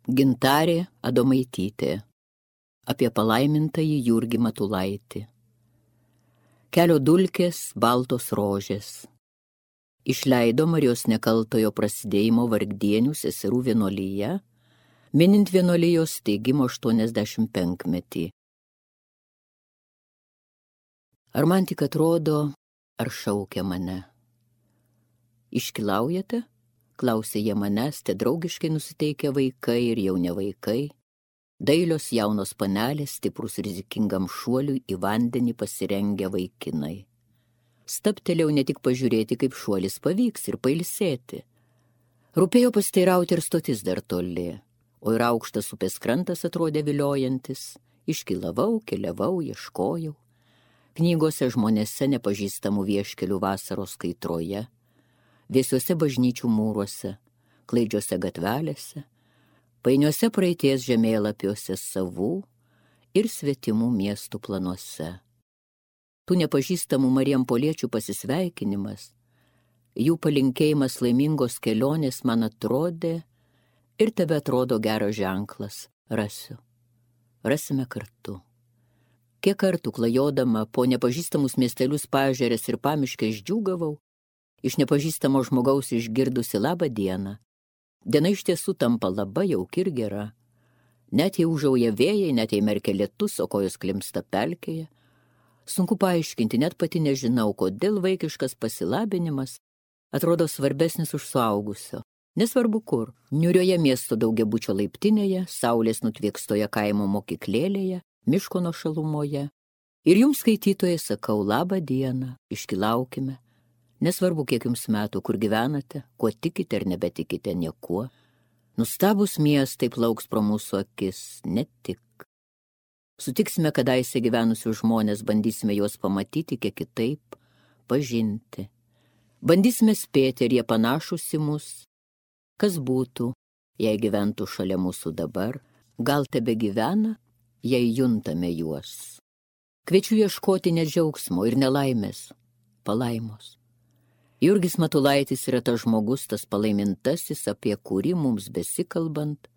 Gintarė Adomaitytė apie palaimintąjį Jurgį Matulaitį. Kelio dulkės, baltos rožės. Išleido Marijos Nekaltojo prasidėjimo Vargdienių seserų vienuolyje, minint vienuolijos steigimo 85-metį. Ar man tik atrodo, ar šaukia mane? Iškilaujate? Klausė jie manęs, te draugiškai nusiteikę vaikai ir jau ne vaikai, dailios jaunos panelės, stiprus rizikingam šuoliui į vandenį pasirengę vaikinai. Stabtelėjau ne tik pažiūrėti, kaip šuolis pavyks ir pailsėti. Rūpėjo pasiteirauti ir stotis dar toli, o ir aukštas upės krantas atrodė viliojantis. Iškilavau, keliavau, ieškojau. Knygose žmonėse nepažįstamų vieškelių vasaros kaitroje, vėsiuose bažnyčių mūruose, klaidžiuose gatvelėse, painiuose praeities žemėlapiuose savų ir svetimų miestų planuose. Tų nepažįstamų marijampoliečių pasisveikinimas, jų palinkėjimas laimingos kelionės man atrodė ir tebe atrodo geras ženklas. Rasiu. Rasime kartu. Kiek kartų klajodama po nepažįstamus miestelius paežerės ir pamiškę išdžiūgavau, iš nepažįstamo žmogaus išgirdusi labą dieną. Diena iš tiesų tampa labai jauki ir gera. Net jei užauja vėjai, net jei merkia lietus, o kojos klimsta pelkėje. Sunku paaiškinti, net pati nežinau, kodėl vaikiškas pasilabinimas atrodo svarbesnis už suaugusio. Nesvarbu kur, niūrioje miesto daugiabučio laiptinėje, saulės nutviekstoje kaimo mokyklėlėje, miško nuošalumoje. Ir jums, skaitytojai, sakau labą dieną, iškilaukime. Nesvarbu, kiek jums metų, kur gyvenate, kuo tikite ar nebetikite niekuo. Nustabus miestai plauks pro mūsų akis, ne tik. Sutiksime kadaise gyvenusius žmonės, bandysime juos pamatyti kiek kitaip, pažinti. Bandysime spėti, ar jie panašus į mus. Kas būtų, jei gyventų šalia mūsų dabar, gal tebe gyvena, jei juntame juos. Kviečiu ieškoti ne džiaugsmo ir nelaimės, palaimos. Jurgis Matulaitis yra tas žmogus, tas palaimintasis, apie kurį mums besikalbant,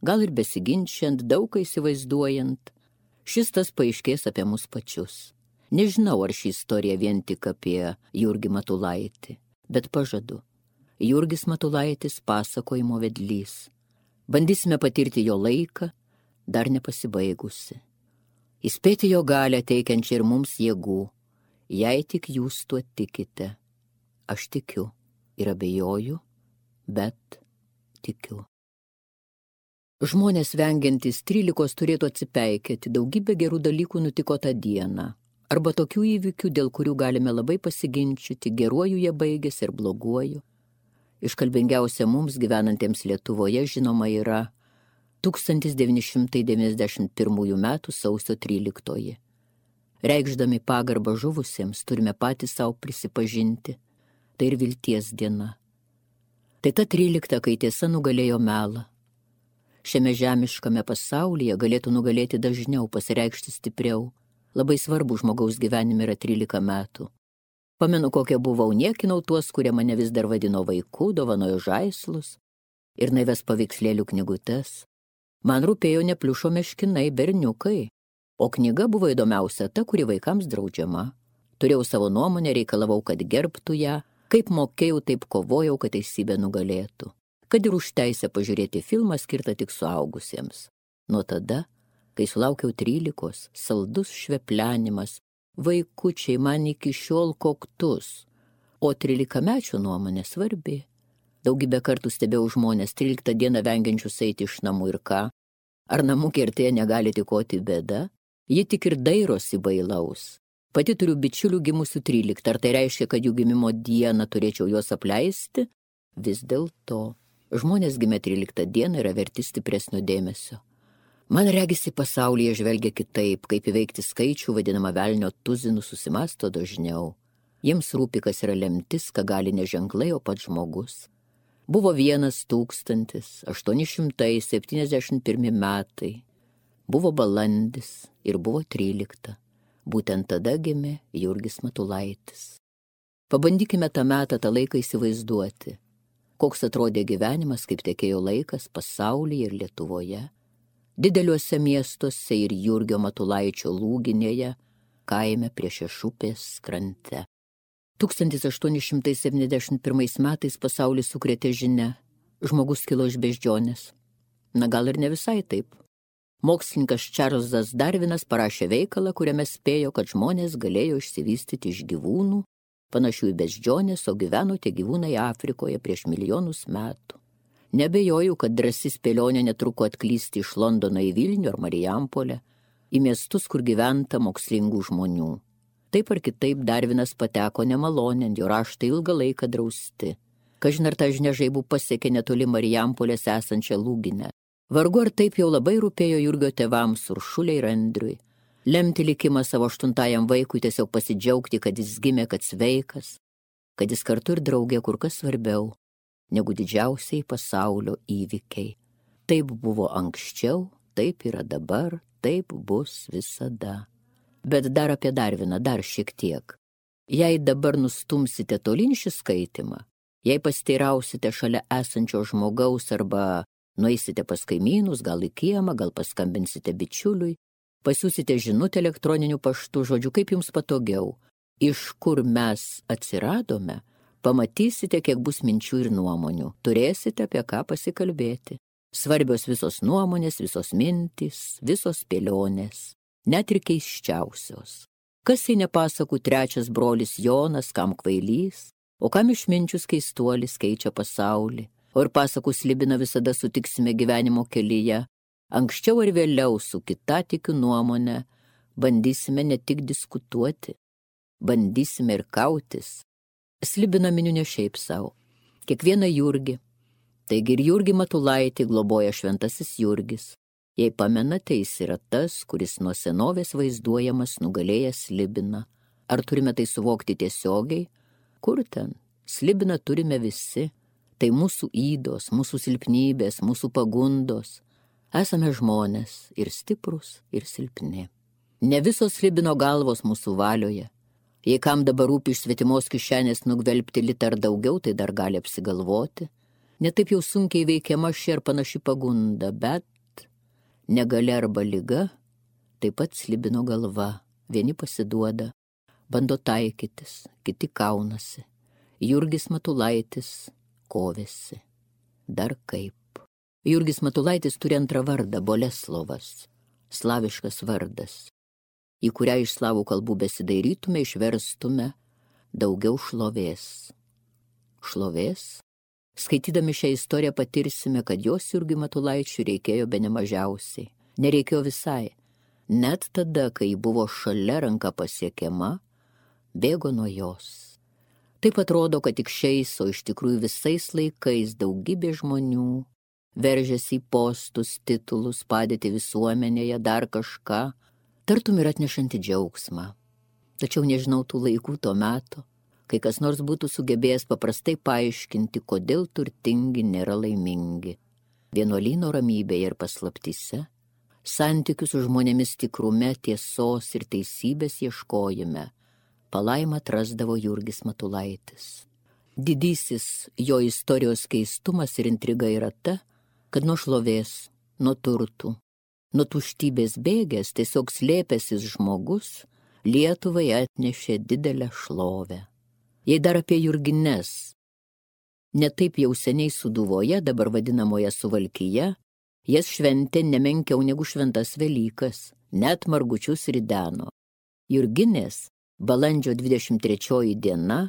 gal ir besiginčiant, daug įsivaizduojant, šis tas paaiškės apie mus pačius. Nežinau, ar ši istorija vien tik apie Jurgį Matulaitį, bet pažadu. Jurgis Matulaitis pasakojimo vedlys. Bandysime patirti jo laiką, dar nepasibaigusi. Įspėti jo galią teikiančią ir mums jėgų, jei tik jūs tuo tikite. Aš tikiu ir abejoju, bet tikiu. Žmonės vengiantys 13 turėtų atsipeikėti, daugybė gerų dalykų nutiko tą dieną, arba tokių įvykių, dėl kurių galime labai pasiginčyti, geruoju jie baigėsi ir bloguoju. Iškalbingiausia mums gyvenantiems Lietuvoje žinoma yra 1991 metų sausio 13. Reikšdami pagarbą žuvusiems turime patys savo prisipažinti, tai ir vilties diena. Tai ta 13, kai tiesa nugalėjo melą. Šiame žemiškame pasaulyje galėtų nugalėti dažniau, pasireikšti stipriau. Labai svarbu žmogaus gyvenime yra 13 metų. Pamenu, kokia buvau, niekinau tuos, kurie mane vis dar vadino vaiku, dovanojo žaislus ir naives paveikslėlių knygutes. Man rūpėjo ne pliušo meškinai, berniukai, o knyga buvo įdomiausia ta, kuri vaikams draudžiama. Turėjau savo nuomonę, reikalavau, kad gerbtų ją, kaip mokėjau, taip kovojau, kad teisybė nugalėtų. Kad ir už teisę pažiūrėti filmą skirtą tik suaugusiems. Nuo tada, kai sulaukiau 13, saldus šveplenimas, vaikučiai man iki šiol koktus, o 13-mečio nuomonė svarbi. Daugybę kartų stebėjau žmonės 13 dieną vengiančius eiti iš namų ir ką. Ar namų kertėje negali tikoti bėda? Ji tik ir dairosi bailaus. Pati turiu bičiulių gimusių 13, ar tai reiškia, kad jų gimimo dieną turėčiau juos apleisti? Vis dėlto, žmonės gimę 13 dieną yra verti stipresnio dėmesio. Man regisi pasaulyje žvelgia kitaip, kaip įveikti skaičių, vadinamą velnio tuzinu, susimasto dažniau. Jiems rūpi, kas yra lemtis, ką gali ne ženklai, o pats žmogus. Buvo 1871 metai, buvo balandis ir buvo 13. Būtent tada gimė Jurgis Matulaitis. Pabandykime tą metą, tą laiką įsivaizduoti. koks atrodė gyvenimas, kaip tekėjo laikas pasaulyje ir Lietuvoje, dideliuose miestuose ir Jurgio Matulaičio Lūginėje, kaime prie Šešupės krante. 1871 metais pasaulį sukrėtė žinia, žmogus kilo iš beždžionės. Na gal ir ne visai taip. Mokslininkas Čarlzas Darvinas parašė veikalą, kuriame spėjo, kad žmonės galėjo išsivystyti iš gyvūnų, panašių į beždžionės, o gyveno tie gyvūnai Afrikoje prieš milijonus metų. Nebejoju, kad drąsi spėlionė netruko atklysti iš Londono į Vilnių ar Marijampolę, į miestus, kur gyventa mokslingų žmonių. Taip ar kitaip Darvinas pateko nemalonėn, jo raštai ilgą laiką drausti. Kažin ar ta žinia žaibų pasiekė netoli Marijampolės esančią Lūginę. Vargu ar taip jau labai rūpėjo Jurgio tėvams Uršulei ir Andriui. Lemti likimą savo 8 vaikui, tiesiog pasidžiaugti, kad jis gimė, kad sveikas, kad jis kartu ir draugė kur kas svarbiau negu didžiausiai pasaulio įvykiai. Taip buvo anksčiau, taip yra dabar, taip bus visada. Bet dar apie Darviną, dar šiek tiek. Jei dabar nustumsite tolyn šį skaitimą, jei pasiteirausite šalia esančio žmogaus arba nueisite pas kaimynus, gal į kiemą, gal paskambinsite bičiuliui, pasiūsite žinutę elektroniniu paštu, žodžiu, kaip jums patogiau. Iš kur mes atsiradome, pamatysite, kiek bus minčių ir nuomonių. Turėsite apie ką pasikalbėti. Svarbios visos nuomonės, visos mintys, visos spėlionės, net ir keisčiausios. Kas jei nepasakų trečias brolis Jonas, kam kvailys, o kam išminčius keistuolis keičia pasaulį. O ir pasakų Slibiną visada sutiksime gyvenimo kelyje. Anksčiau ar vėliau su kitatikių nuomonė bandysime ne tik diskutuoti, bandysime ir kautis. Slibiną miniu ne šiaip savo. Kiekvieną Jurgį. Taigi ir Jurgį Matulaitį globoja šventasis Jurgis. Jei pamenate, jis yra tas, kuris nuo senovės vaizduojamas nugalėjęs Slibiną. Ar turime tai suvokti tiesiogiai? Kur ten? Slibiną turime visi. Tai mūsų ydos, mūsų silpnybės, mūsų pagundos. Esame žmonės ir stiprus, ir silpni. Ne visos Slibino galvos mūsų valioje. Jei kam dabar rūpi iš svetimos kišenės nugvelbti litą ar daugiau, tai dar gali apsigalvoti. Netaip jau sunkiai veikiama ši ar panaši pagunda, bet negalia arba liga, taip pat Slibino galva. Vieni pasiduoda, bando taikytis, kiti kaunasi. Jurgis Matulaitis kovėsi. Dar kaip. Jurgis Matulaitis turi antrą vardą – Boleslovas, slaviškas vardas, į kurią iš slavų kalbų besidairytume, išverstume daugiau šlovės. Šlovės? Skaitydami šią istoriją patirsime, kad jos Jurgiui Matulaičiui reikėjo bene mažiausiai. Nereikėjo visai. Net tada, kai buvo šalia ranka pasiekiama, bėgo nuo jos. Taip atrodo, kad tik šiais, o iš tikrųjų visais laikais daugybė žmonių veržėsi į postus, titulus, padėti visuomenėje, dar kažką, tartum ir atnešanti džiaugsmą. Tačiau nežinau tų laikų to meto, kai kas nors būtų sugebėjęs paprastai paaiškinti, kodėl turtingi nėra laimingi. Vienuolyno ramybėje ir paslaptyse, santykių su žmonėmis tikrume, tiesos ir teisybės ieškojime, palaimą atrasdavo Jurgis Matulaitis. Didysis jo istorijos keistumas ir intriga yra ta, kad nuo šlovės, nuo turtų, nuo tuštybės bėgęs tiesiog slėpęsis žmogus Lietuvai atnešė didelę šlovę. Jei dar apie Jurgines, netaip jau seniai Sūduvoje, dabar vadinamoje Suvalkyje, jas šventė nemenkiau negu šventas Velykas, net margučius rideno. Jurginės balandžio 23 diena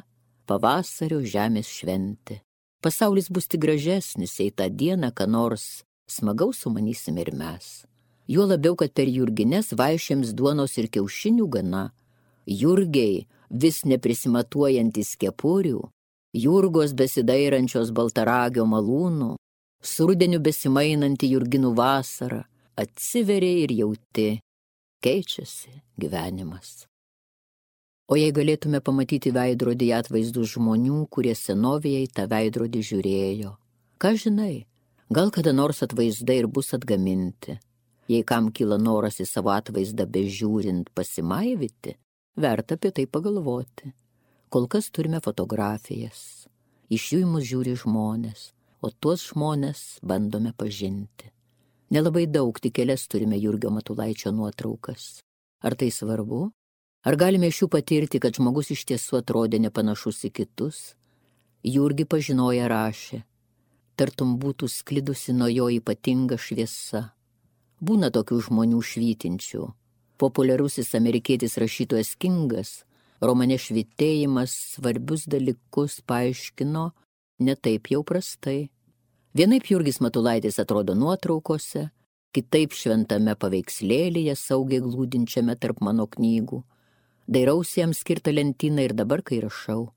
pavasario žemės šventė. Pasaulis bus tik gražesnis, jei tą dieną ką nors smagaus sumanysime ir mes. Juo labiau, kad per Jurgines vaišėms duonos ir kiaušinių gana. Jurgiai vis neprisimatuojantis kepurių, Jurgos besidairančios baltaragio malūnų, su rudeniu besimainanti Jurginų vasara, atsiveria ir jauti, keičiasi gyvenimas. O jei galėtume pamatyti veidrodyje atvaizdus žmonių, kurie senovėje į tą veidrodį žiūrėjo, ką žinai, gal kada nors atvaizdai ir bus atgaminti. Jei kam kyla noras į savo atvaizdą bežiūrint pasimaivyti, verta apie tai pagalvoti. Kol kas turime fotografijas. Iš jų į mus žiūri žmonės, o tuos žmonės bandome pažinti. Nelabai daug, tik kelias turime Jurgio Matulaičio nuotraukas. Ar tai svarbu? Ar galime iš jų patirti, kad žmogus iš tiesų atrodė nepanašus į kitus? Jurgį pažinoję rašė, tartum būtų sklidusi nuo jo ypatinga šviesa. Būna tokių žmonių švytinčių. Populiarusis amerikietis rašytojas Kingas romane Švytėjimas svarbius dalykus paaiškino ne taip jau prastai. Vienaip Jurgis Matulaitis atrodo nuotraukose, kitaip šventame paveikslėlyje saugiai glūdinčiame tarp mano knygų. Dairausi jam skirtą lentyną ir dabar, kai rašau.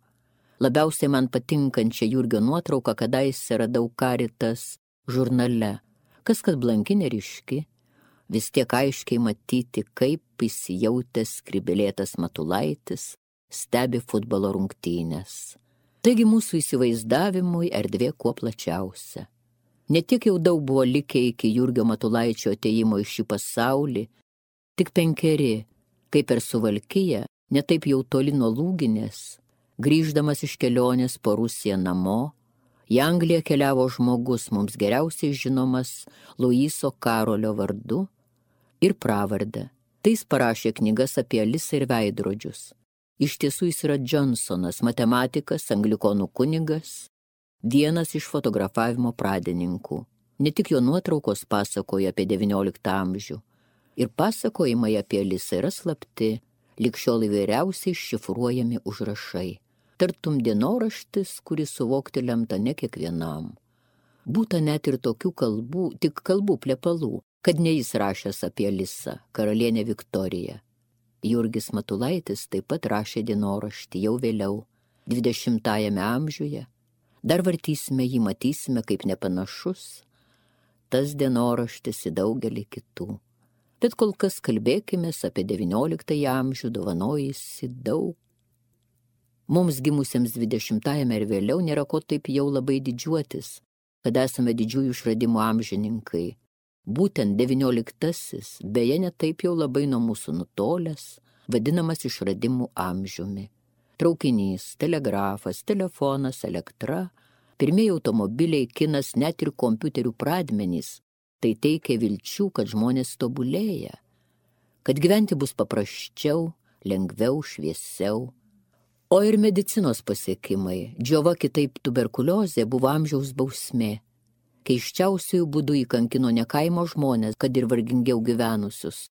Labiausiai man patinkančią Jurgio nuotrauką kadaise radau Caritas žurnale. Kas kad blanki neryški, vis tiek aiškiai matyti, kaip įsijautęs skribelėtas Matulaitis stebi futbolo rungtynės. Taigi mūsų įsivaizdavimui erdvė kuo plačiausia. Ne tik jau daug buvo likę iki Jurgio Matulaičio atėjimo į šį pasaulį, tik 5, kai per Suvalkiją, ne taip jau toli nuo Lūginės, grįždamas iš kelionės po Rusiją namo, į Angliją keliavo žmogus mums geriausiai žinomas Luiso Karolio vardu ir pravardę. Tai jis parašė knygas apie Alisą ir veidrodžius. Iš tiesų jis yra Johnsonas, matematikas, anglikonų kunigas, vienas iš fotografavimo pradininkų. Ne tik jo nuotraukos pasakoja apie 19 amžių. Ir pasakojimai apie Alisą yra slapti, lig šiol įvairiausiai šifruojami užrašai. Tartum dienoraštis, kuris suvokti lemta ne kiekvienam. Būta net ir tokių kalbų, tik kalbų plepalų, kad ne jis rašęs apie Alisą, karalienę Viktoriją. Jurgis Matulaitis taip pat rašė dienoraštį jau vėliau, 20-ajame amžiuje. Dar vartysime jį, matysime, kaip nepanašus tas dienoraštis į daugelį kitų. Bet kol kas kalbėkime apie 19-ąjį amžių, dovanojusi daug. Mums gimusiems 20-ajame ir vėliau nėra ko taip jau labai didžiuotis, kad esame didžiųjų išradimų amžininkai. Būtent 19-asis, beje, ne taip jau labai nuo mūsų nutolęs, vadinamas išradimų amžiumi. Traukinys, telegrafas, telefonas, elektra, pirmieji automobiliai, kinas, net ir kompiuterių pradmenys. Tai teikia vilčių, kad žmonės tobulėja, kad gyventi bus paprasčiau, lengviau, šviesiau. O ir medicinos pasiekimai, džiova kitaip tuberkuliozė, buvo amžiaus bausmė. Keiščiausiųjų būdų įkankino ne kaimo žmonės, kad ir vargingiau gyvenusius,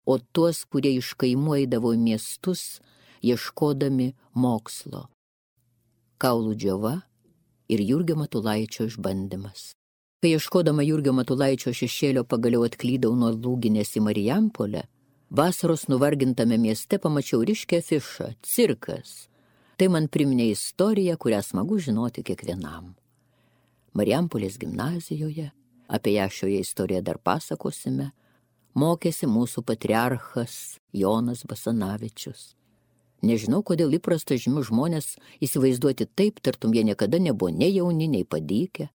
o tuos, kurie iš kaimų eidavo į miestus, ieškodami mokslo. Kaulų džiova ir Jurgio Matulaičio išbandymas. Kai ieškodama Jurgio Matulaičio šešėlio pagaliau atklydau nuo Lūginės į Marijampolę, vasaros nuvargintame mieste pamačiau ryškią afišą – cirkas. Tai man priminė istoriją, kurią smagu žinoti kiekvienam. Marijampolės gimnazijoje, apie ją šioje istorijoje dar pasakosime, mokėsi mūsų patriarchas Jonas Basanavičius. Nežinau, kodėl įprasta žymių žmonės įsivaizduoti taip, tartum jie niekada nebuvo nei jauni, nei padykę.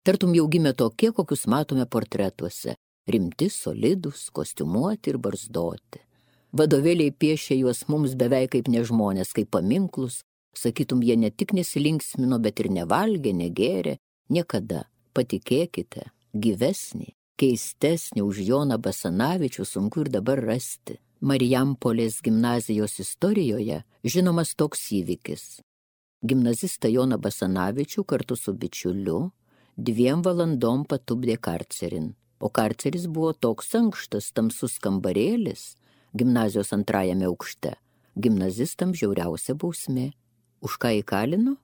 Tartum jau gimė tokie, kokius matome portretuose, rimti, solidus, kostiumuoti ir barzdoti. Vadovėliai piešė juos mums beveik kaip nežmonės, kaip paminklus, sakytum, jie ne tik nesilinksmino, bet ir nevalgė, negėrė, niekada, patikėkite, gyvesnį, keistesnį už Joną Basanavičių sunku ir dabar rasti. Marijampolės gimnazijos istorijoje žinomas toks įvykis. Gimnazistą Joną Basanavičių kartu su bičiuliu 2 valandom patupdė karcerin, o karceris buvo toks ankštas, tamsus kambarėlis, gimnazijos 2 aukšte, gimnazistams žiauriausia bausmė. Už ką įkalino?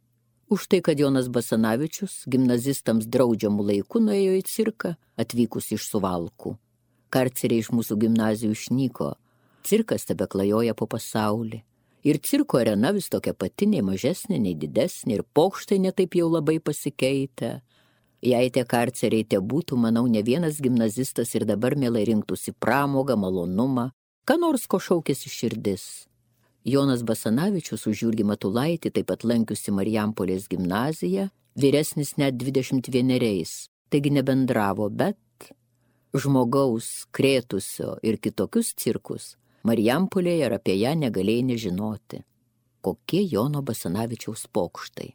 Už tai, kad Jonas Basanavičius gimnazistams draudžiamų laikų nuėjo į cirką, atvykus iš Suvalkų. Karceriai iš mūsų gimnazijų išnyko, cirkas tebeklajoja po pasaulį. Ir cirko arena vis tokia pati, nei mažesnė, nei didesnė, ir pokštai netaip jau labai pasikeitę. Jei tie karceriai te būtų, manau, ne vienas gimnazistas ir dabar mielai rinktųsi pramogą, malonumą, ką nors ko šaukėsi širdis. Jonas Basanavičius už Jurgį Matulaitį taip pat lankiusi Marijampolės gimnaziją, vyresnis net 21, taigi nebendravo, bet žmogaus krėtusio ir kitokius cirkus Marijampolėje ir apie ją negalėjai nežinoti. Kokie Jono Basanavičiaus pokštai.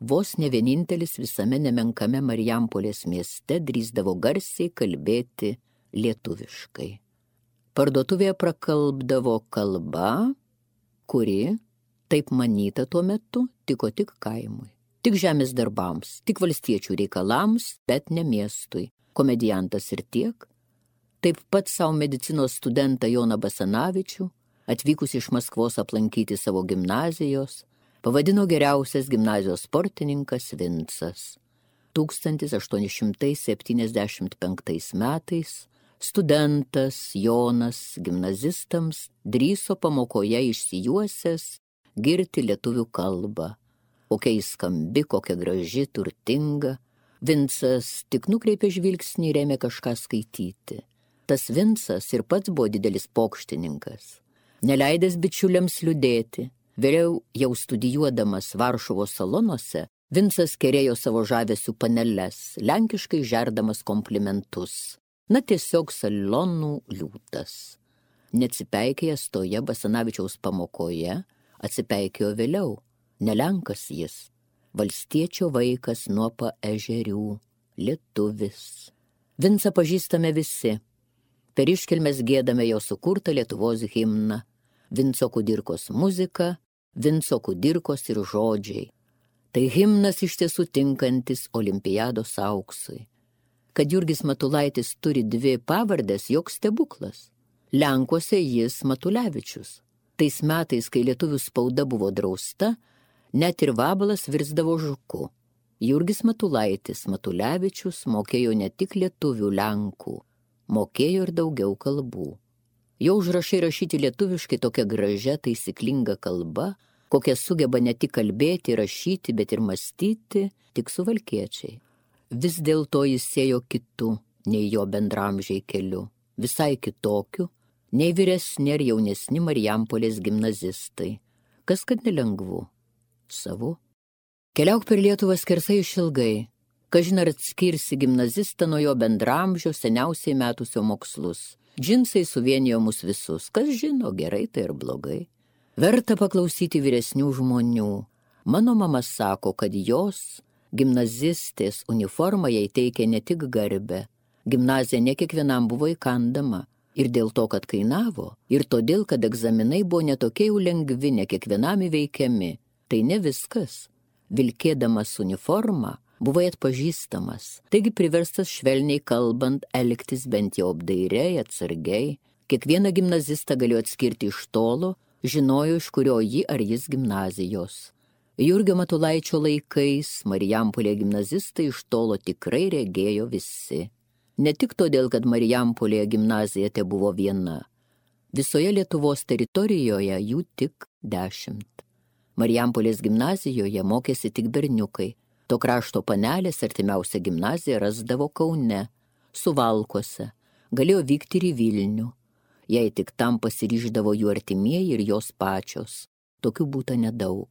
vos ne vienintelis visame nemenkame Marijampolės mieste drįsdavo garsiai kalbėti lietuviškai. Parduotuvėje prakalbdavo kalba, kuri, taip manyta tuo metu, tiko tik kaimui, tik žemės darbams, tik valstiečių reikalams, bet ne miestui. Komediantas ir tiek. Taip pat savo medicinos studentą Joną Basanavičių, atvykus iš Maskvos aplankyti savo gimnazijos, pavadino geriausias gimnazijos sportininkas Vincas. 1875 metais studentas Jonas gimnazistams drįso pamokoje išsijuosęs girti lietuvių kalbą. Kokia jis skambi, kokia graži, turtinga. Vincas tik nukreipė žvilgsnį ir ėmė kažką skaityti. Tas Vincas ir pats buvo didelis pokštininkas, neleidęs bičiuliams liūdėti. Vėliau jau studijuodamas Varšuvos salonuose, Vincas kerėjo savo žavesių paneles, lenkiškai žerdamas komplimentus. Na tiesiog salonų liūtas. Neatsipeikėjęs toje Basanavičiaus pamokoje, atsipeikėjo vėliau. Ne lenkas jis, valstiečio vaikas nuo paežerių, lietuvis. Vincą pažįstame visi. Per iškilmes giedame jo sukurtą Lietuvos himną. Vinco Kudirkos muzika, Vinco Kudirkos ir žodžiai. Tai himnas iš tiesų tinkantis olimpiados auksui. Kad Jurgis Matulaitis turi 2 pavardes, joks stebuklas. Lenkuose jis Matulevičius. Tais metais, kai lietuvių spauda buvo drausta, net ir vabalas virsdavo žuku. Jurgis Matulaitis Matulevičius mokėjo ne tik lietuvių lenkų, mokėjo ir daugiau kalbų. Jo užrašai rašyti lietuviškai tokia gražia, taisyklinga kalba, kokią sugeba ne tik kalbėti, rašyti, bet ir mąstyti, tik suvalkiečiai. Vis dėlto jis ėjo kitu, nei jo bendramžiai keliu, visai kitokiu, nei vyresni ar jaunesni Marijampolės gimnazistai. Kas kad nelengvu? Savu. Keliauk per Lietuvą skersai išilgai, kažin ar atskirsi gimnazistą nuo jo bendramžio seniausiai metusio mokslus. Džinsai suvienijo mus visus, kas žino, gerai tai ir blogai. Verta paklausyti vyresnių žmonių. Mano mama sako, kad jos, gimnazistės, uniforma jai teikė ne tik garbę. Gimnazija ne kiekvienam buvo įkandama. Ir dėl to, kad kainavo, ir todėl, kad egzaminai buvo netokie jau lengvi, ne kiekvienam įveikiami. Tai ne viskas. Vilkėdamas uniformą, buvai atpažįstamas, taigi priverstas švelniai kalbant elgtis bent jau apdairiai, atsargiai. Kiekvieną gimnazistą galėjo atskirti iš tolo, žinojo, iš kurio ji ar jis gimnazijos. Jurgio Matulaičio laikais Marijampolėje gimnazistai iš tolo tikrai regėjo visi. Ne tik todėl, kad Marijampolėje gimnazija te buvo viena. Visoje Lietuvos teritorijoje jų tik 10. Marijampolės gimnazijoje mokėsi tik berniukai. To krašto panelės artimiausia gimnazija rasdavo Kaune, Suvalkuose, galėjo vykti ir į Vilnių. Jei tik tam pasiryždavo jų artimieji ir jos pačios. Tokių būta nedaug.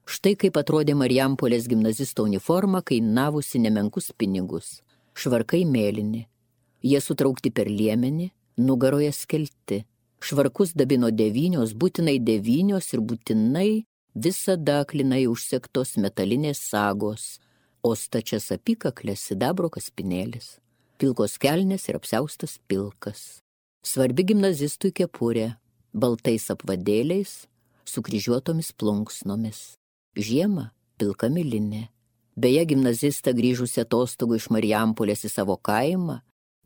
Štai kaip atrodė Marijampolės gimnazisto uniforma, kainavusi nemenkus pinigus. Švarkai mėlyni. Jie sutraukti per liemenį, nugaroje skelti. Švarkus dabino 9, būtinai 9 ir būtinai visada aklinai užsegtos metalinės sagos, o stačias apykaklės sidabro kaspinėlis. Pilkos kelnės ir apsiaustas pilkas. Svarbi gimnazistui kepurė, baltais apvadėliais, sukryžiuotomis plunksnomis. Žiemą pilka milinė. Beje, gimnazistą grįžusi atostogų iš Marijampolės į savo kaimą,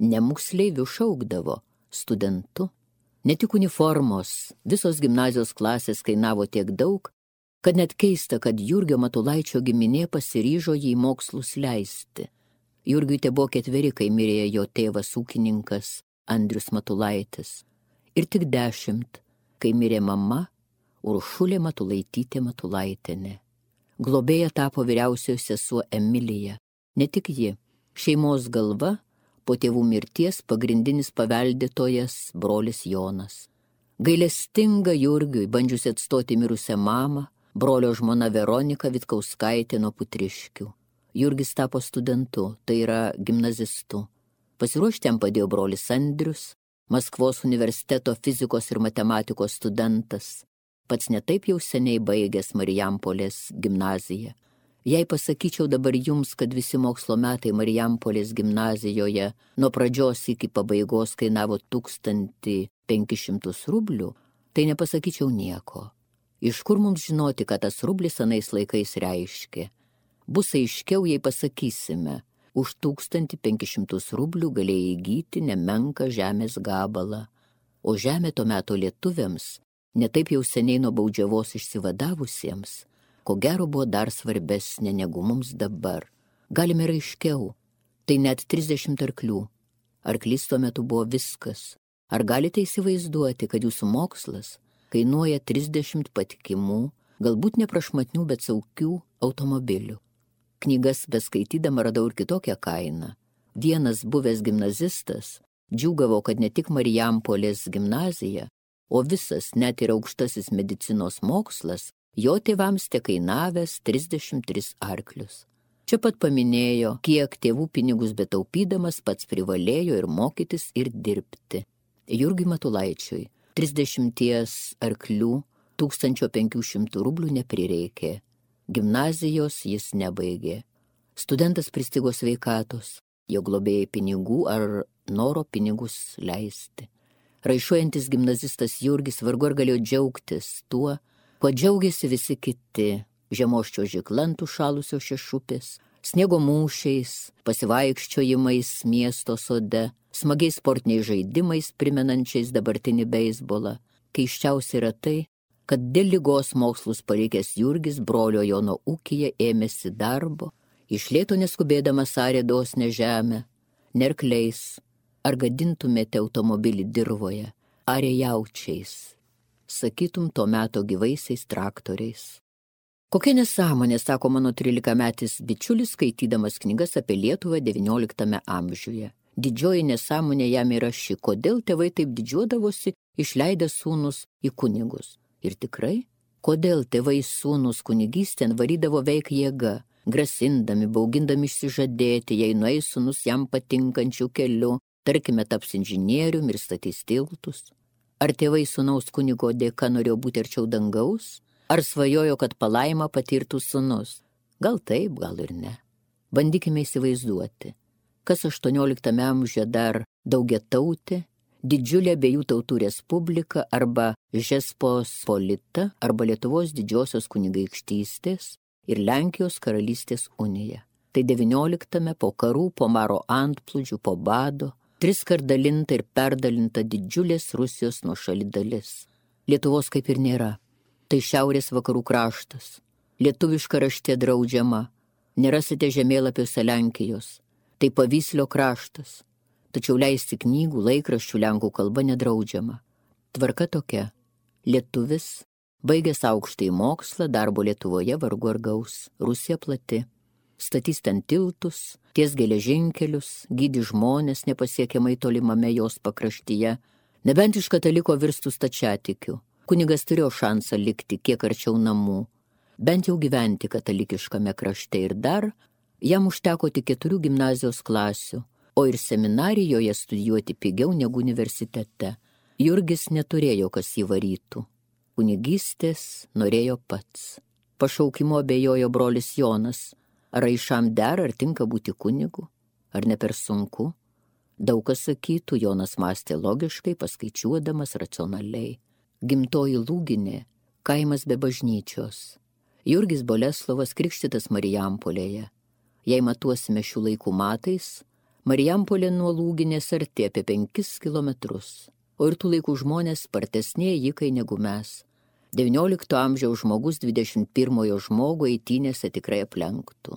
ne moksleiviu šaukdavo, studentu. Ne tik uniformos, visos gimnazijos klasės kainavo tiek daug, kad net keista, kad Jurgio Matulaičio giminė pasiryžo jį į mokslus leisti. Jurgiui te buvo 4, kai mirė jo tėvas ūkininkas Andrius Matulaitis. Ir tik 10, kai mirė mama Uršulė Matulaitytė Matulaitienė. Globėja tapo vyriausioji sesuo Emilija. Ne tik ji, šeimos galva, po tėvų mirties pagrindinis paveldėtojas brolis Jonas. Gailestinga Jurgiui, bandžiusi atstoti mirusią mamą, brolio žmona Veronika Vitkauskaitė nuo Putriškių. Jurgis tapo studentu, tai yra gimnazistu. Pasiruošti jam padėjo brolis Andrius, Maskvos universiteto fizikos ir matematikos studentas, pats netaip jau seniai baigęs Marijampolės gimnaziją. Jei pasakyčiau dabar jums, kad visi mokslo metai Marijampolės gimnazijoje nuo pradžios iki pabaigos kainavo 1500 rublių, tai nepasakyčiau nieko. Iš kur mums žinoti, kad tas rublis anais laikais reiškia? Bus aiškiau, jei pasakysime, už 1500 rublių galėjai įgyti nemenką žemės gabalą, o žemė to meto lietuviams, netaip jau seniai nuo baudžiavos išsivadavusiems, ko gero buvo dar svarbesnė negu mums dabar. Galime ir aiškiau, tai net 30 arklių. Arklys tuo metu buvo viskas. Ar galite įsivaizduoti, kad jūsų mokslas kainuoja 30 patikimų, galbūt neprašmatnių, bet saugių automobilių? Knygas beskaitydama radau ir kitokią kainą. Vienas buvęs gimnazistas džiūgavo, kad ne tik Marijampolės gimnazija, o visas, net ir aukštasis medicinos mokslas, jo tėvams tekainavęs 33 arklius. Čia pat paminėjo, kiek tėvų pinigus betaupydamas pats privalėjo ir mokytis ir dirbti. Jurgiui Matulaičiui 30 arklių 1500 rublių neprireikė. Gimnazijos jis nebaigė. Studentas pristigo sveikatos, jo globėjai pinigų ar noro pinigus leisti. Raišuojantis gimnazistas Jurgis vargu ar galėjo džiaugtis tuo, kuo džiaugiasi visi kiti, žiemos čiuožykla ant užšalusios šešupės, sniego mūšiais, pasivaikščiojimais miesto sode, smagiais sportiniais žaidimais primenančiais dabartinį beisbolą. Keisčiausia yra tai, kad dėl ligos mokslus palikęs Jurgis brolio Jono ūkyje ėmėsi darbo, iš lėto neskubėdamas arė dosnią žemę, nerkliais, ar gadintumėte automobilį dirvoje, arė jaučiais, sakytum to meto gyvaisiais traktoriais. Kokia nesąmonė, sako mano 13-metis bičiulis, skaitydamas knygas apie Lietuvą XIX amžiuje. Didžioji nesąmonė jam yra ši, kodėl tėvai taip didžiuodavosi išleidę sūnus į kunigus. Ir tikrai, kodėl tėvai sūnus kunigystėn varydavo veik jėga, grasindami, baugindami išsižadėti, jei nueis sūnus jam patinkančių keliu, tarkime taps inžinierium ir statys tiltus. Ar tėvai sūnaus kunigo dėka norėjo būti arčiau dangaus? Ar svajojo, kad palaimą patirtų sūnus? Gal taip, gal ir ne. Bandykime įsivaizduoti, kas 18 amžiuje dar daugiatautė, didžiulė abiejų tautų respublika arba Žečpospolita arba Lietuvos didžiosios kunigaikštystės ir Lenkijos karalystės unija. Tai 19 po karų, po maro antplūdžių, po bado, 3 kart dalinta ir perdalinta didžiulės Rusijos nuošali dalis. Lietuvos kaip ir nėra. Tai šiaurės vakarų kraštas. Lietuviška raštė draudžiama. Nerasite žemėlapiuose Lenkijos. Tai Pavyslio kraštas. Tačiau leisti knygų, laikraščių lenkų kalba nedraudžiama. Tvarka tokia. Lietuvis, baigęs aukštąjį mokslą, darbo Lietuvoje vargu ar gaus. Rusija plati. Statys ten tiltus, ties geležinkelius, gydi žmonės nepasiekiamai tolimame jos pakraštyje, nebent iš kataliko virstų stačiatikiu. Kunigas turėjo šansą likti kiek arčiau namų, bent jau gyventi katalikiškame krašte ir dar, jam užteko tik 4 gimnazijos klasių, o ir seminarijoje studijuoti pigiau negu universitete. Jurgis neturėjo, kas jį varytų. Kunigystės norėjo pats. Pašaukimo abejojo brolis Jonas. Ar aišam dera, ar tinka būti kunigu? Ar ne per sunku? Daug kas sakytų, Jonas mąstė logiškai, paskaičiuodamas racionaliai. Gimtoji Lūginė, kaimas be bažnyčios. Jurgis Boleslovas krikštytas Marijampolėje. Jei matuosime šių laikų matais, Marijampolė nuo Lūginės arti apie 5 kilometrus, o ir tų laikų žmonės spartesnė ėjikai negu mes. 19 amžiaus žmogus 21 žmogų eitynėse tikrai aplenktų.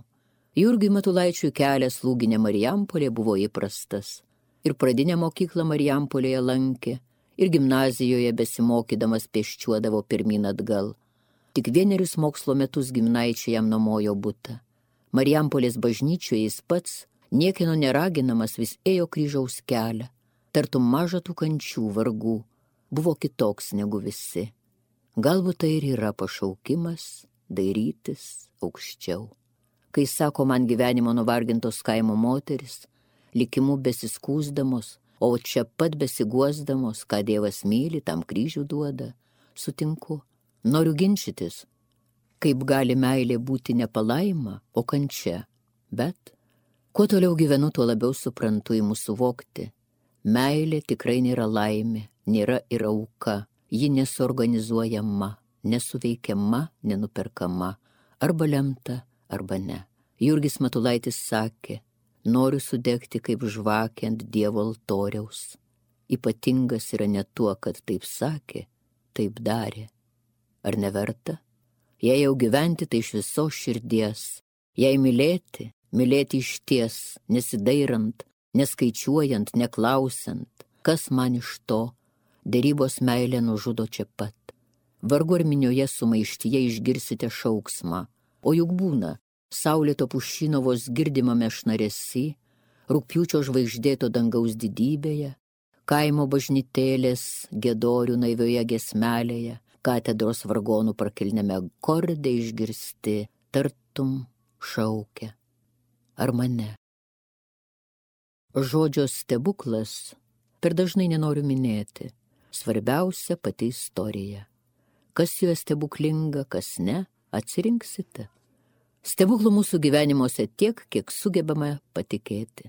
Jurgiui Matulaičiui kelias Lūginė Marijampolė buvo įprastas. Ir pradinę mokyklą Marijampolėje lankė, ir gimnazijoje besimokydamas pėsčiuodavo pirmyn atgal. Tik 1 mokslo metus giminaičiai jam nuomojo butą. Marijampolės bažnyčioje jis pats, niekieno neraginamas, vis ėjo kryžiaus kelią. Tartum maža tų kančių, vargų, buvo kitoks negu visi. Galbūt tai ir yra pašaukimas, dairytis aukščiau. Kai sako man gyvenimo nuvargintos kaimo moteris, likimu besiskūsdamos, o čia pat besiguosdamos, ką Dievas myli, tam kryžių duoda, sutinku. Noriu ginčytis. Kaip gali meilė būti ne palaima, o kančia. Bet kuo toliau gyvenu, tuo labiau suprantu įmu suvokti. Meilė tikrai nėra laimė, nėra ir auka. Ji nesuorganizuojama, nesuveikiama, nenuperkama. Arba lemta, arba ne. Jurgis Matulaitis sakė, noriu sudegti kaip žvakė ant Dievo altoriaus. Ypatingas yra ne tuo, kad taip sakė, taip darė. Ar neverta? Jei jau gyventi, tai iš visos širdies. Jei mylėti, mylėti išties, nesidairant, neskaičiuojant, neklausiant, kas man iš to, derybos meilė nužudo čia pat. Vargu ar minioje sumaištyje išgirsite šauksmą, o juk būna, saulėto pušyno vos girdimame šnaresi, rugpjūčio žvaigždėto dangaus didybėje, kaimo bažnytėlės giedorių naivioje giesmelėje, katedros vargonų prakilniame akorde išgirsti, tartum šaukia. Ar mane? Žodžio stebuklas per dažnai nenoriu minėti. Svarbiausia pati istorija. Kas joje stebuklinga, kas ne, atsirinksite. Stebuklų mūsų gyvenimuose tiek, kiek sugebame patikėti.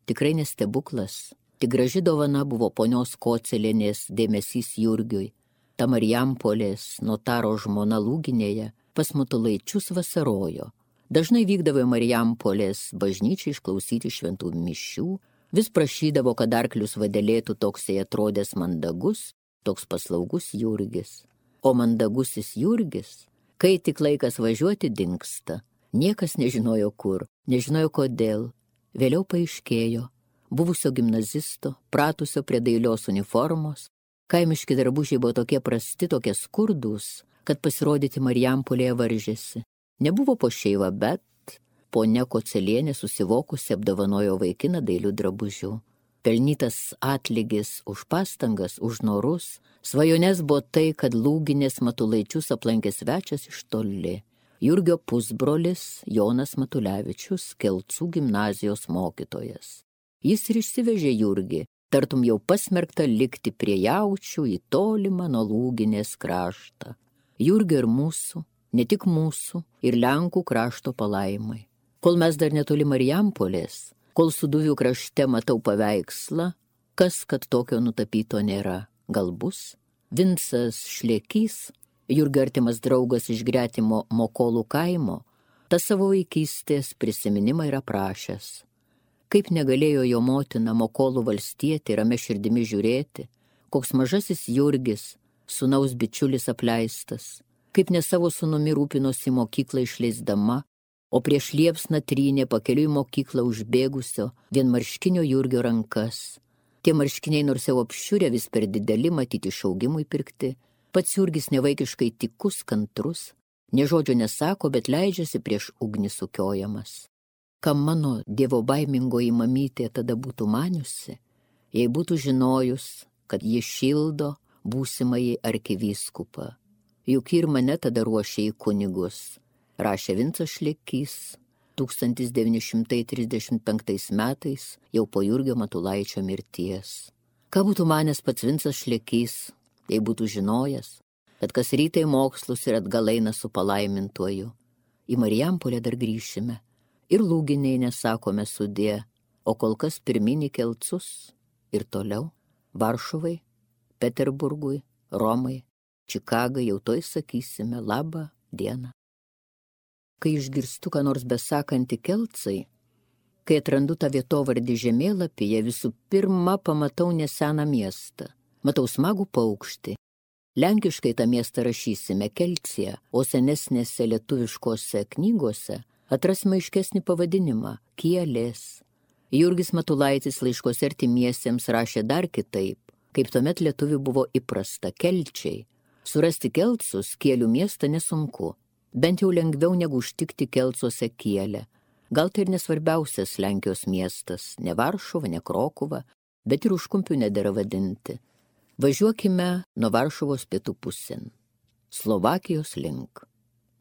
Tikrai ne stebuklas, tik graži dovana buvo ponios Kocelienės dėmesys Jurgiui. Ta Marijampolės notaro žmona Lūginėje pas Matulaičius vasarojo. Dažnai vykdavo į Marijampolės bažnyčią išklausyti šventų mišių, vis prašydavo, kad arklius vadelėtų toks jai atrodęs mandagus, toks paslaugus Jurgis. O mandagusis Jurgis, kai tik laikas važiuoti, dingsta. Niekas nežinojo kur, nežinojo kodėl. Vėliau paaiškėjo, buvusio gimnazisto, pratusio prie dailios uniformos, kaimiški drabužiai buvo tokie prasti, tokie skurdūs, kad pasirodyti Marijampolėje varžėsi. Nebuvo po šeivą, bet ponia Kocelienė susivokusi apdovanojo vaikiną dailių drabužių. Pelnytas atlygis už pastangas, už norus, svajonės buvo tai, kad Lūginės Matulaičius aplankė svečias iš toli. Jurgio pusbrolis Jonas Matulevičius, Kelcų gimnazijos mokytojas. Jis ir išsivežė Jurgį, tartum jau pasmerktą likti prie jaučių į tolimą nuo Lūginės kraštą. Jurgio ir mūsų, ne tik mūsų, ir Lenkų krašto palaimai. Kol mes dar netoli Marijampolės, kol Suduvių krašte matau paveikslą, kas kad tokio nutapyto nėra, gal bus? Vincas Šlekys, Jurgio artimas draugas iš gretimo Mokolų kaimo, tą savo vaikystės prisiminimą yra prašęs. Kaip negalėjo jo motina Mokolų valstietė ramia širdimi žiūrėti, koks mažasis Jurgis, sūnaus bičiulis apleistas, kaip ne savo sūnumi rūpinosi mokyklą išleisdama, o prieš liepsną trynė pakeliui mokyklą užbėgusio vienmarškinio Jurgio rankas. Tie marškiniai nors jau apšiurę vis per dideli, matyti šaugimui pirkti, pats Jurgis nevaikiškai tikus, kantrus, nė žodžio nesako, bet leidžiasi prieš ugnį sukiojamas. Kam mano dievo baimingoji mamytė tada būtų maniusi, jei būtų žinojus, kad ji šildo būsimąjį arkivyskupą. Juk ir mane tada ruošė į kunigus, rašė Vincas Šlekys 1935 metais, jau po Jurgio Matulaičio mirties. Ką būtų manęs pats Vincas Šlekys, jei būtų žinojęs, kad kas rytai mokslus ir atgal eina su palaimintuoju. Į Marijampolę dar grįšime ir Lūginei nesakome sudie, o kol kas pirmin į Kelcus ir toliau Varšuvai, Peterburgui, Romai, Čikagai jau toj sakysime labą dieną. Kai išgirstu, ką nors besakantį Kelcai, kai atrandu tą vietovardį žemėlapyje, visų pirma pamatau neseną miestą. Matau smagų paukštį. Lenkiškai tą miestą rašysime Kelcija, o senesnėse lietuviškose knygose atrasime aiškesnį pavadinimą – Kielės. Jurgis Matulaitis laiškose artimiesiems rašė dar kitaip, kaip tuomet lietuvių buvo įprasta – Kelčiai. Surasti Kelcus, Kielių miestą nesunku, bent jau lengviau negu užtikti Kelcuose Kielę. Gal tai ir nesvarbiausias Lenkijos miestas, ne Varšuva, ne Krokuva, bet ir Užkumpių nedera vadinti. Važiuokime nuo Varšuvos pietų pusėn, Slovakijos link.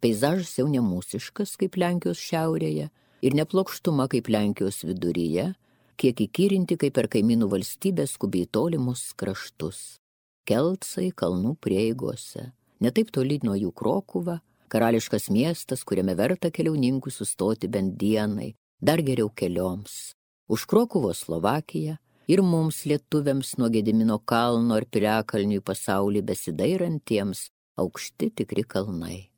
Peizažas jau nemūsiškas kaip Lenkijos šiaurėje ir neplokštuma kaip Lenkijos viduryje, kiek įkyrinti kaip per kaimynų valstybės skubiai tolimus kraštus. Kelcai kalnų prieigose, ne taip toli nuo jų Krokuva, Karališkas miestas, kuriame verta keliauninkų sustoti bent dienai, dar geriau kelioms. Už Krokuvos Slovakiją ir mums lietuviams nuo Gedimino kalno ar piliakalnių į pasaulį besidairantiems aukšti tikri kalnai.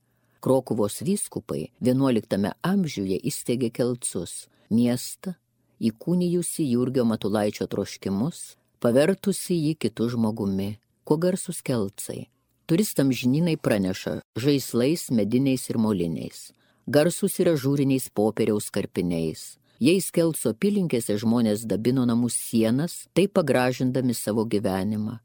Krokuvos vyskupai 11 amžiuje įsteigė Kelcus, miestą, įkūnijusi Jurgio Matulaičio troškimus, pavertusi jį kitų žmogumi. Kuo garsus Kelcai? Turistams žinynai praneša žaislais, mediniais ir moliniais. Garsus yra žūriniais popieriaus karpiniais. Jais Kelco apylinkėse žmonės dabino namų sienas, taip pagražindami savo gyvenimą.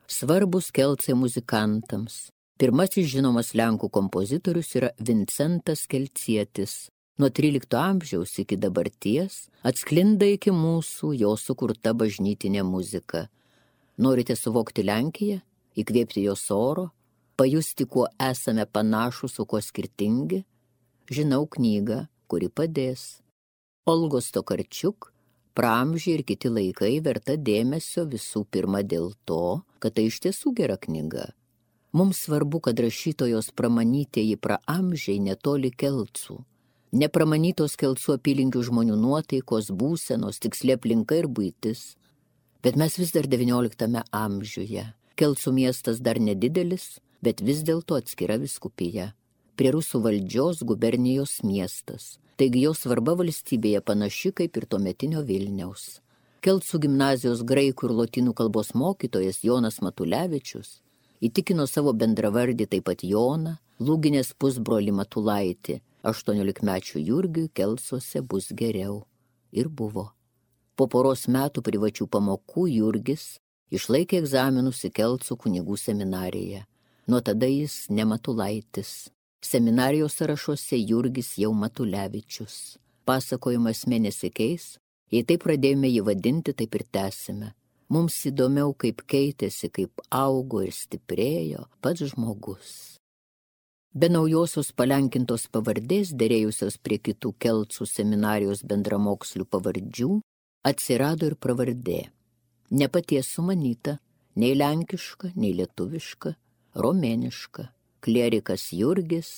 Svarbus Kelcai muzikantams. Pirmasis žinomas lenkų kompozitorius yra Vincentas Kelcietis. Nuo 13 amžiaus iki dabarties atsklinda iki mūsų jo sukurta bažnytinė muzika. Norite suvokti Lenkiją, įkvėpti jos oro, pajusti, kuo esame panašus, o kuo skirtingi? Žinau knygą, kuri padės. Olgos Tokarčiuk, Praamžiai ir kiti laikai verta dėmesio visų pirma dėl to, kad tai iš tiesų gera knyga. Mums svarbu, kad rašytojos pramanytieji praamžiai netoli Kelcų. Nepramanytos Kelcų apylinkių žmonių nuotaikos, būsenos, tiksli aplinka ir buitis. Bet mes vis dar 19 amžiuje. Kelcų miestas dar nedidelis, bet vis dėlto atskira vyskupija. Prie rusų valdžios gubernijos miestas. Taigi jo svarba valstybėje panaši kaip ir tuometinio Vilniaus. Kelcų gimnazijos graikų ir lotynų kalbos mokytojas Jonas Matulevičius įtikino savo bendravardį taip pat Joną, Lūginės pusbrolį Matulaitį, 18-mečių Jurgiui Kelcuose bus geriau. Ir buvo. Po poros metų privačių pamokų Jurgis išlaikė egzaminus į Kelcų kunigų seminariją. Nuo tada jis ne Matulaitis. Seminarijos sąrašuose Jurgis jau Matulevičius. Pasakojimas nesikeis, jei taip pradėjome jį vadinti, taip ir tęsime. Mums įdomiau, kaip keitėsi, kaip augo ir stiprėjo pats žmogus. Be naujosios palenkintos pavardės, derėjusios prie kitų Kelcų seminarijos bendramokslių pavardžių, atsirado ir pravardė. Ne paties sumanyta, nei lenkiška, nei lietuviška, romėniška. Klierikas Jurgis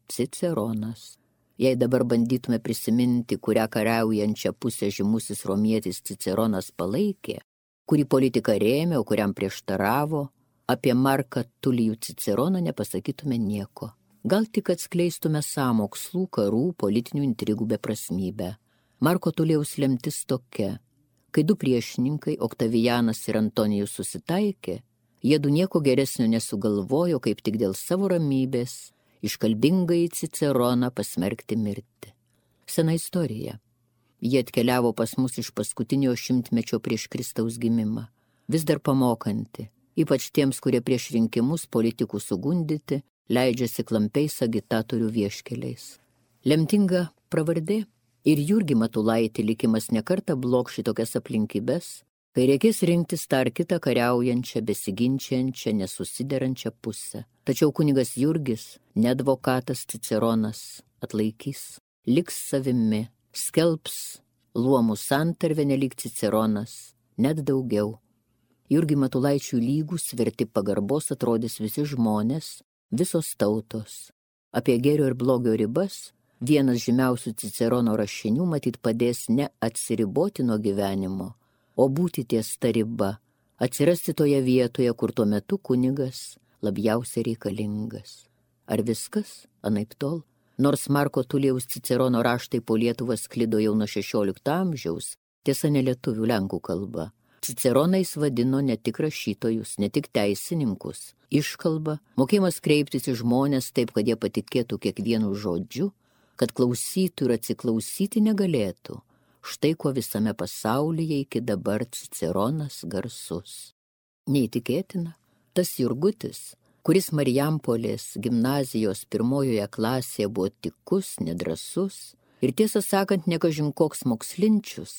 Ciceronas. Jei dabar bandytume prisiminti, kurią kariaujančią pusę žymusis romietis Ciceronas palaikė, kurį politiką rėmė, o kuriam prieštaravo, apie Marką Tulijų Ciceroną nepasakytume nieko. Gal tik atskleistume sąmokslų, karų, politinių intrigų beprasmybę. Marko Tulijaus lemtis tokia. Kai du priešininkai, Oktavianas ir Antonijus susitaikė, jiedu nieko geresnio nesugalvojo, kaip tik dėl savo ramybės iškalbingai Ciceroną pasmerkti mirti. Sena istorija. Jie atkeliavo pas mus iš paskutinio 100-mečio prieš Kristaus gimimą. Vis dar pamokanti, ypač tiems, kurie prieš rinkimus politikų sugundyti, leidžiasi klampiais agitatorių vieškeliais. Lemtinga pravardė ir Jurgį Matulaitį likimas nekartą blokš šitokias aplinkybės, kai reikės rinktis tą ar kitą kariaujančią, besiginčiančią, nesusiderančią pusę. Tačiau kunigas Jurgis, ne advokatas Ciceronas, atlaikys, liks savimi, skelbs luomų santarvę nelyg Ciceronas, net daugiau. Jurgį Matulaičių lygus, verti pagarbos atrodys visi žmonės, visos tautos. Apie gėrio ir blogio ribas vienas žymiausių Cicerono rašinių matyt padės ne atsiriboti nuo gyvenimo, o būti ties ta riba, atsirasti toje vietoje, kur tuo metu kunigas labiausiai reikalingas. Ar viskas? Anaiptol. Nors Marko Tulijaus Cicerono raštai po Lietuvą sklido jau nuo 16 amžiaus, tiesa ne lietuvių lenkų kalba. Ciceronais vadino ne tik rašytojus, ne tik teisininkus. Iškalba, mokėjimas kreiptis į žmonės taip, kad jie patikėtų kiekvienu žodžiu, kad klausytų ir atsiklausyti negalėtų. Štai ko visame pasaulyje iki dabar Ciceronas garsus. Neįtikėtina, tas Jurgutis, kuris Marijampolės gimnazijos pirmojoje klasėje buvo tikus, nedrąsus ir tiesą sakant nekažin koks mokslinčius,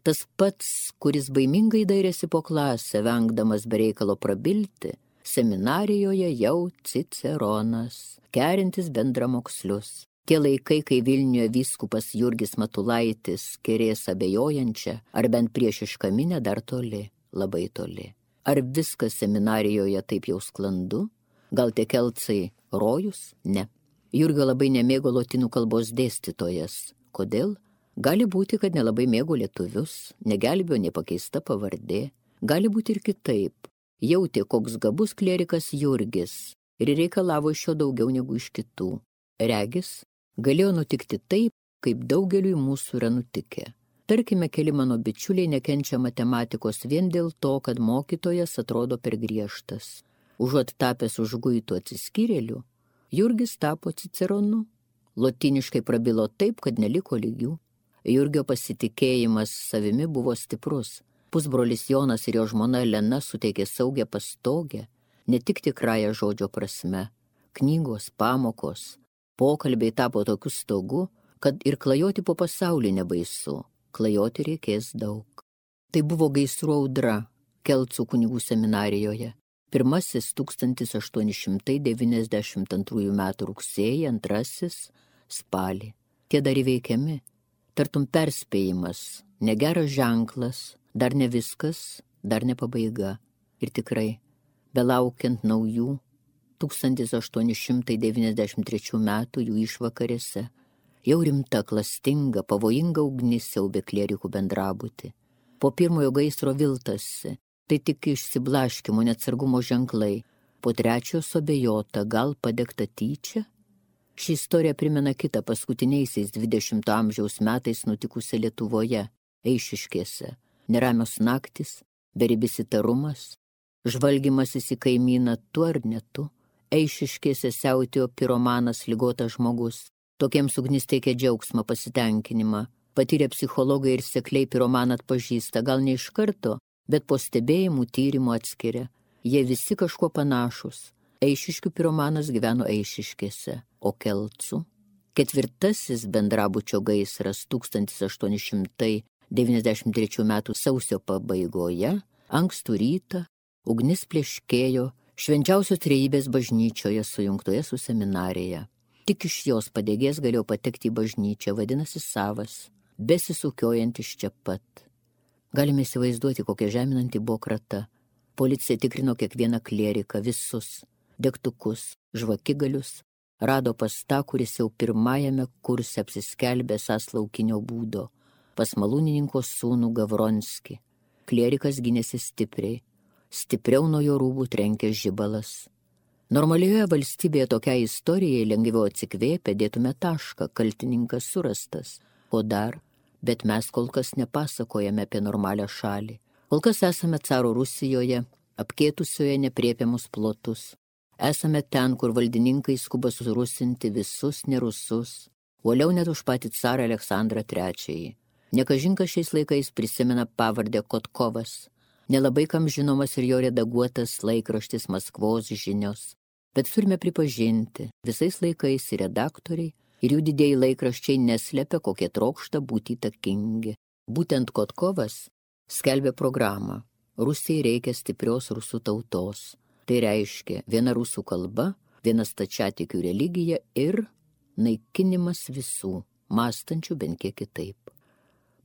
tas pats, kuris baimingai dairėsi po klasę, vengdamas bereikalo prabilti, seminarijoje jau Ciceronas, kerintis bendramokslius. Tie laikai, kai Vilniuje vyskupas Jurgis Matulaitis kerės abejojančią ar bent priešišką minią dar toli, labai toli. Ar viskas seminarijoje taip jau sklandu? Gal tie Kelcai rojus? Ne. Jurgio labai nemėgo lotynų kalbos dėstytojas. Kodėl? Gali būti, kad nelabai mėgo lietuvius, negelbėjo nepakeista pavardė. Gali būti ir kitaip. Jautė, koks gabus klierikas Jurgis ir reikalavo iš jo daugiau negu iš kitų. Regis, galėjo nutikti taip, kaip daugeliui mūsų yra nutikę. Tarkime, keli mano bičiuliai nekenčia matematikos vien dėl to, kad mokytojas atrodo per griežtas. Užuot tapęs užguitų atsiskyrėlių, Jurgis tapo Ciceronu. Lotyniškai prabilo taip, kad neliko lygių. Jurgio pasitikėjimas savimi buvo stiprus. Pusbrolis Jonas ir jo žmona Elena suteikė saugią pastogę, ne tik tikrąją žodžio prasme. Knygos, pamokos, pokalbiai tapo tokiu stogu, kad ir klajoti po pasaulį nebaisu. Klajoti reikės daug. Tai buvo gaisrų audra Kelcų kunigų seminarijoje. Pirmasis 1892 metų rugsėjį, antrasis spalį. Tie dar įveikiami. Tartum perspėjimas, negeras ženklas, dar ne viskas, dar ne pabaiga. Ir tikrai, belaukiant naujų 1893 metų jų išvakarėse, jau rimta, klastinga, pavojinga ugnis siaubė klierikų bendrabutį. Po pirmojo gaisro viltasi, tai tik išsiblaškimo neatsargumo ženklai. Po trečiojo suabejota, gal padegta tyčia? Ši istorija primena kitą paskutiniaisiais 20 amžiaus metais nutikusią Lietuvoje, Eišiškėse. Neramios naktis, beribis įtarumas, žvalgymasis į kaimyną tu ar ne tu. Eišiškėse siautėjo piromanas, ligotas žmogus. Tokiems ugnis teikia džiaugsmą, pasitenkinimą. Patyrę psichologai ir sekliai piromaną atpažįsta, gal ne iš karto, bet po stebėjimų tyrimų atskiria. Jie visi kažkuo panašus. Eišiškių piromanas gyveno Eišiškėse, o Kelcų. Ketvirtasis bendrabučio gaisras 1893 metų sausio pabaigoje, ankstų rytą, ugnis pleškėjo Švenčiausios Trejybės bažnyčioje sujungtoje su seminarija. Tik iš jos padegės galėjo patekti į bažnyčią, vadinasi savas, besisukiojantis čia pat. Galime įsivaizduoti, kokia žeminanti buvo krata. Policija tikrino kiekvieną klieriką, visus, degtukus, žvakigalius, rado pas tą, kuris jau pirmajame kurse apsiskelbė esąs laukinio būdo, pas malūnininko sūnų Gavronskį. Klierikas gynėsi stipriai, stipriau nuo jo rūbų trenkė žibalas. Normalioje valstybėje tokiai istorijai lengviau atsikvėpę dėtume tašką, kaltininkas surastas. O dar, bet mes kol kas nepasakojame apie normalią šalį. Kol kas esame caro Rusijoje, apkėtusioje nepriepiamus plotus. Esame ten, kur valdininkai skuba surusinti visus nerusus, uoliau net už patį carą Aleksandrą III. Nekažinkas šiais laikais prisimena pavardę Kotkovas. Nelabai kam žinomas ir jo redaguotas laikraštis Maskvos žinios. Bet turime pripažinti, visais laikais ir redaktoriai, ir jų didieji laikraščiai neslepia, kokie trokšta būti įtakingi. Būtent Kotkovas skelbė programą. Rusijai reikia stiprios rusų tautos. Tai reiškia viena rusų kalba, viena stačiatikių religija ir naikinimas visų, mąstančių bent kiek kitaip.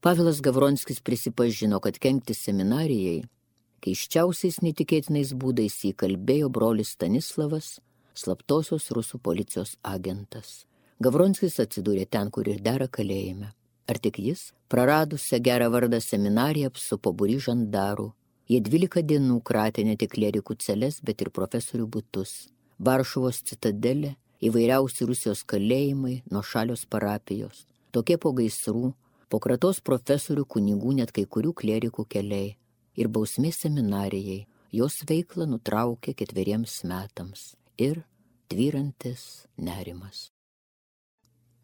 Pavelas Gavronskis prisipažino, kad kenkti seminarijai keiščiausiais netikėtinais būdais įkalbėjo brolis Stanislavas, slaptosios rusų policijos agentas. Gavronskis atsidūrė ten, kur ir dera kalėjime. Ar tik jis, praradusią gerą vardą seminariją, apsupo būrį žandarų. Jie 12 dienų kratė ne tik klierikų celes, bet ir profesorių butus. Varšuvos citadelė, įvairiausi Rusijos kalėjimai, nuošalios parapijos. Tokie po gaisrų, po kratos profesorių, kunigų, net kai kurių klierikų keliai. Ir bausmė seminarijai, jos veiklą nutraukė 4 metams. Ir tvyrantis nerimas.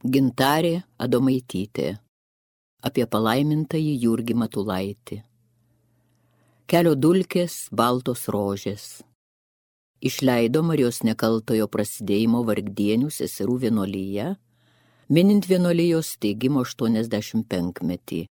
Gintarė Adomaitytė. Apie palaimintąjį Jurgį Matulaitį. Kelio dulkės, baltos rožės. Išleido Marijos Nekaltojo prasidėjimo Vargdienių seserų vienuolyje, minint vienuolijos steigimo 85-metį.